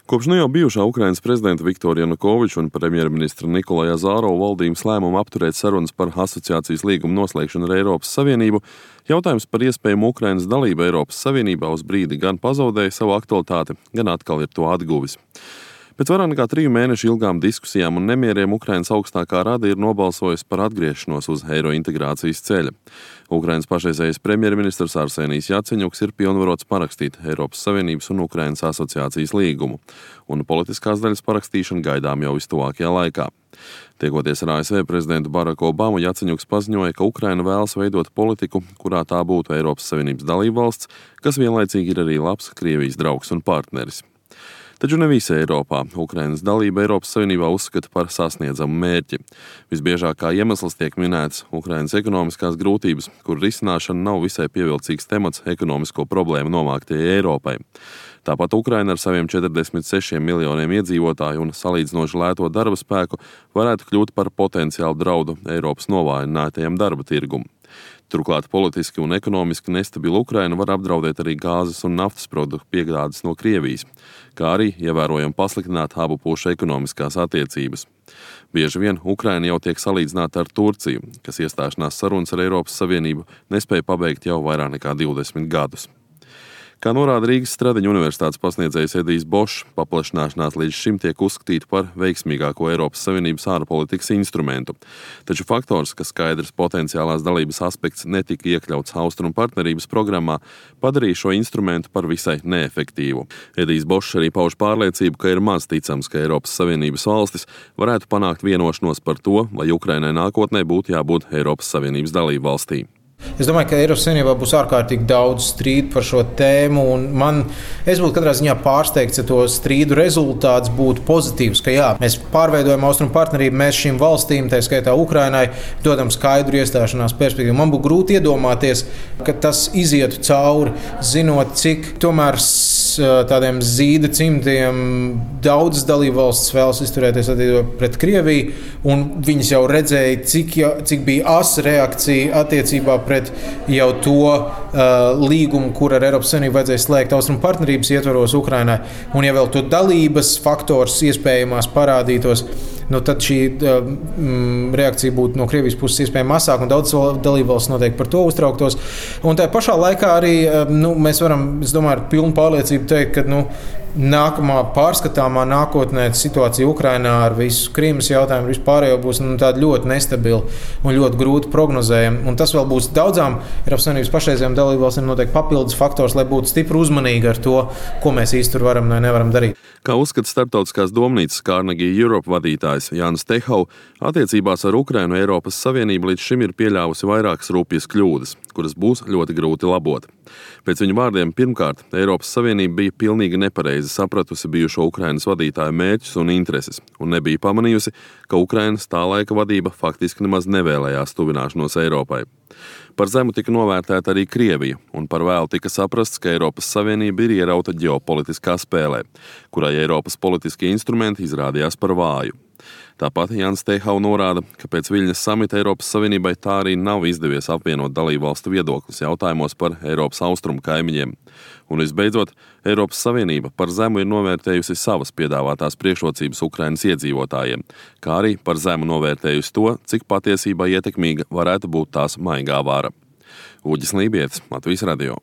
Kopš nu jau bijušā Ukrainas prezidenta Viktora Janukoviča un premjerministra Nikolaja Azārova valdības lēmumu apturēt sarunas par asociācijas līgumu noslēgšanu ar Eiropas Savienību, jautājums par iespējamu Ukrainas dalību Eiropas Savienībā uz brīdi gan pazaudēja savu aktualitāti, gan atkal ir to atguvis. Pēc vairāk nekā 3 mēnešu ilgām diskusijām un nemieriem Ukrainas augstākā rada ir nobalsojusi par atgriešanos uz eiro integrācijas ceļa. Ukrainas pašreizējais premjerministrs Arsenijs Jaceņuks ir pilnvarots parakstīt Eiropas Savienības un Ukrainas asociācijas līgumu, un politiskās daļas parakstīšana gaidām jau vistuvākajā laikā. Tiekoties ar ASV prezidentu Baraku Obamu, Jaceņuks paziņoja, ka Ukraina vēlas veidot politiku, kurā tā būtu Eiropas Savienības dalībvalsts, kas vienlaicīgi ir arī labs Krievijas draugs un partneris. Taču ne visa Eiropā Ukrainas dalība Eiropas Savienībā uzskata par sasniedzamu mērķi. Visbiežāk kā iemesls tiek minēts Ukrainas ekonomiskās grūtības, kur risināšana nav visai pievilcīgs temats ekonomisko problēmu nomāktajai Eiropai. Tāpat Ukraina ar saviem 46 miljoniem iedzīvotāju un salīdzinoši lēto darba spēku varētu kļūt par potenciālu draudu Eiropas novājinātajam darba tirgum. Turklāt politiski un ekonomiski nestabila Ukraina var apdraudēt arī gāzes un naftas produktu piegādes no Krievijas, kā arī ievērojami pasliktināt abu pušu ekonomiskās attiecības. Bieži vien Ukraina jau tiek salīdzināta ar Turciju, kas iestāšanās sarunas ar Eiropas Savienību nespēja pabeigt jau vairāk nekā 20 gadus. Kā norāda Rīgas Stradiņa universitātes pasniedzējs Edijs Bošs, paplašināšanās līdz šim tiek uzskatīta par veiksmīgāko Eiropas Savienības ārpolitikas instrumentu. Taču faktors, ka skaidrs potenciālās dalības aspekts netika iekļauts Austrumu partnerības programmā, padarīja šo instrumentu par visai neefektīvu. Edijs Bošs arī pauž pārliecību, ka ir maz ticams, ka Eiropas Savienības valstis varētu panākt vienošanos par to, vai Ukrainai nākotnē būtu jābūt Eiropas Savienības dalību valstī. Es domāju, ka Eiropas Savienībā būs ārkārtīgi daudz strīdu par šo tēmu, un es būtu katrā ziņā pārsteigts, ja to strīdu rezultāts būtu pozitīvs, ka jā, mēs pārveidojam Austrumu partnerību, mēs šīm valstīm, tā skaitā Ukrainai, dodam skaidru iestāšanās perspektīvu. Man būtu grūti iedomāties, ka tas izietu cauri, zinot, cik tomēr tādiem zīda cimdiem daudzas dalībvalstis vēlas izturēties pret Krieviju, un viņas jau redzēja, cik bija asa reakcija attiecībā pret jau to līgumu, kur ar Eiropas Savienību vajadzēja slēgt Austrumu partnerības ietvaros Ukrainai. Un ja vēl to dalības faktors iespējamās parādītos, tad šī reakcija būtu no Krievijas puses iespējami mazāk, un daudz dalībvalsts noteikti par to uztrauktos. Un tajā pašā laikā arī mēs varam, es domāju, ar pilnu pārliecību teikt, ka nākamā pārskatāmā nākotnē situācija Ukrainā ar visu Krīmas jautājumu vispārējo būs tāda ļoti nestabila un ļoti grūti prognozējama. Un tas vēl būs daudzām Eiropas Savienības pašreizējām dalībvalstīm noteikti papildus faktors, lai būtu stipri uzmanīgi ar to, ko mēs īsti tur varam vai nevaram darīt. Kā uzskata starptautiskās domnīcas Carnegie Europe vadītājs Jānis Tehau, attiecībās ar Ukrainu Eiropas Savienība līdz šim ir pieļāvusi vairākas rupjas kļūdas, kuras būs ļoti grūti labot. Pēc viņa vārdiem, pirmkārt, Eiropas Savienība bija pilnīgi nepareizi sapratusi bijušo Ukrainas vadītāju mērķus un intereses, un nebija pamanījusi, ka Ukrainas tā laika vadība faktiski nemaz nevēlējās tuvināšanos Eiropai. Par zemu tika novērtēta arī Krievija, un par vēlu tika saprasts, ka Eiropas Savienība ir ierauta ģeopolitiskā spēlē, kurai Eiropas politiskie instrumenti izrādījās par vāju. Tāpat Jānis Tehau norāda, ka pēc Viļņas samita Eiropas Savienībai tā arī nav izdevies apvienot dalībvalstu viedokļus jautājumos par Eiropas austrumu kaimiņiem. Un visbeidzot, Eiropas Savienība par zemu ir novērtējusi savas piedāvātās priekšrocības Ukrainas iedzīvotājiem, kā arī par zemu novērtējusi to, cik patiesībā ietekmīga varētu būt tās maigā vara. Uģis Lībietis, Latvijas radio.